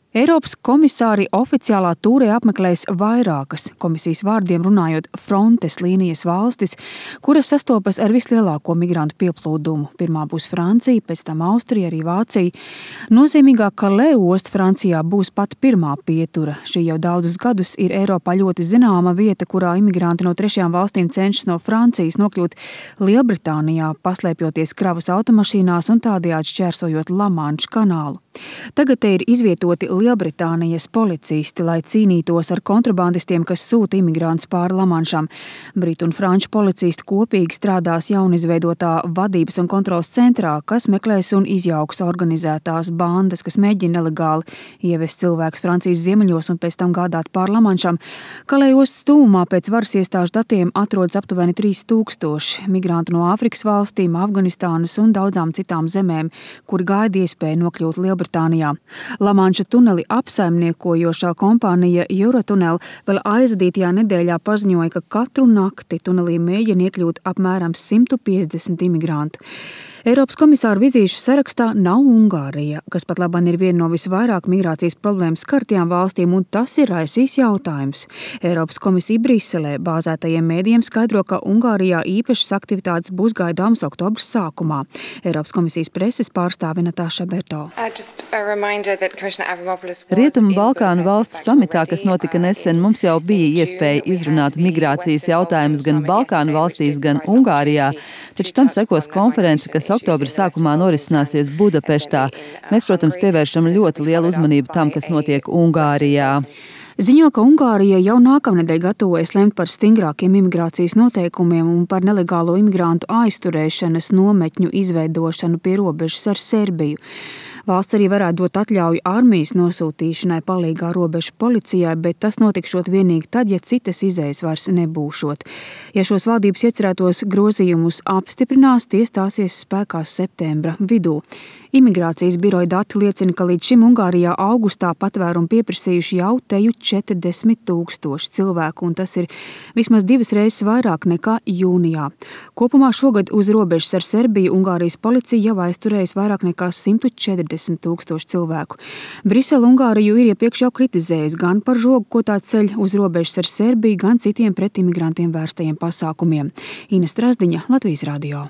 Eiropas komisāri oficiālā tūrē apmeklēs vairākas, komisijas vārdiem runājot, frontes līnijas valstis, kuras sastopas ar vislielāko migrantu pieplūdumu. Pirmā būs Francija, pēc tam Austrija, arī Vācija. Nozīmīgā Calais osta Francijā būs pat pirmā pietura. Šī jau daudzus gadus ir Eiropā ļoti zināma vieta, kurā imigranti no trešajām valstīm cenšas no Francijas nokļūt Lielbritānijā, paslēpjoties kravas automašīnās un tādējādi šķērsojot La-Manša kanālu. Tagad te ir izvietoti Lielbritānijas policisti, lai cīnītos ar kontrabandistiem, kas sūta imigrantus pāri La-Manšam. Britu un franču policisti kopīgi strādās jaunizveidotā vadības un kontrolas centrā, kas meklēs un izjauks organizētās bandas, kas mēģina nelegāli ievest cilvēkus Francijas ziemeļos un pēc tam gādāt pāri La-Manšam. Calais stūmā pēc varas iestāžu datiem atrodas aptuveni 3000 migrantu no Āfrikas valstīm, Afganistānas un daudzām citām zemēm, kuri gaida iespēju nokļūt Lielbritānijā. La-Manša tuneli apsaimniekojošā kompānija Eurotunnel vēl aizvadītajā nedēļā paziņoja, ka katru nakti tunelī mēģina iekļūt apmēram 150 imigrantu. Eiropas komisāru vizīšu sarakstā nav Ungārija, kas pat labāk ir viena no visvairāk migrācijas problēmas skartajām valstīm, un tas ir raisījis jautājums. Eiropas komisija Briselē bāzētajiem mēdījiem skaidro, ka Ungārijā īpašas aktivitātes būs gaidāmas oktobra sākumā. Eiropas komisijas preses pārstāve Natāša Berto. Rietumu Balkānu valstu samitā, kas notika nesen, mums jau bija iespēja izrunāt migrācijas jautājumus gan Balkānu valstīs, gan Ungārijā, taču tam sekos konference, kas oktobra sākumā norisināsies Budapeštā. Mēs, protams, pievēršam ļoti lielu uzmanību tam, kas notiek Ungārijā. Ziņo, ka Ungārija jau nākamnedēļ gatavojas lemt par stingrākiem imigrācijas noteikumiem un par nelegālo imigrantu aizturēšanas nometņu izveidošanu pie robežas ar Serbiju. Valsts arī varētu dot atļauju armijas nosūtīšanai palīgā robežu policijai, bet tas notikšot vienīgi tad, ja citas izejas vairs nebūšot. Ja šos valdības iecerētos grozījumus apstiprinās, tie stāsies spēkā septembra vidū. Imigrācijas biroja dati liecina, ka līdz šim Ungārijā augustā patvērumu pieprasījuši jau teju 40 000 cilvēku, un tas ir vismaz 2 reizes vairāk nekā jūnijā. Kopumā šogad uz robežas ar Serbiju Ungārijas policija jau aizturējas vairāk nekā 140 000 cilvēku. Brisele Ungāriju ir iepriekš jau kritizējusi gan par žogu, ko tā ceļ uz robežas ar Serbiju, gan citiem pret imigrantiem vērstajiem pasākumiem. Ines Trasdiņa, Latvijas radio.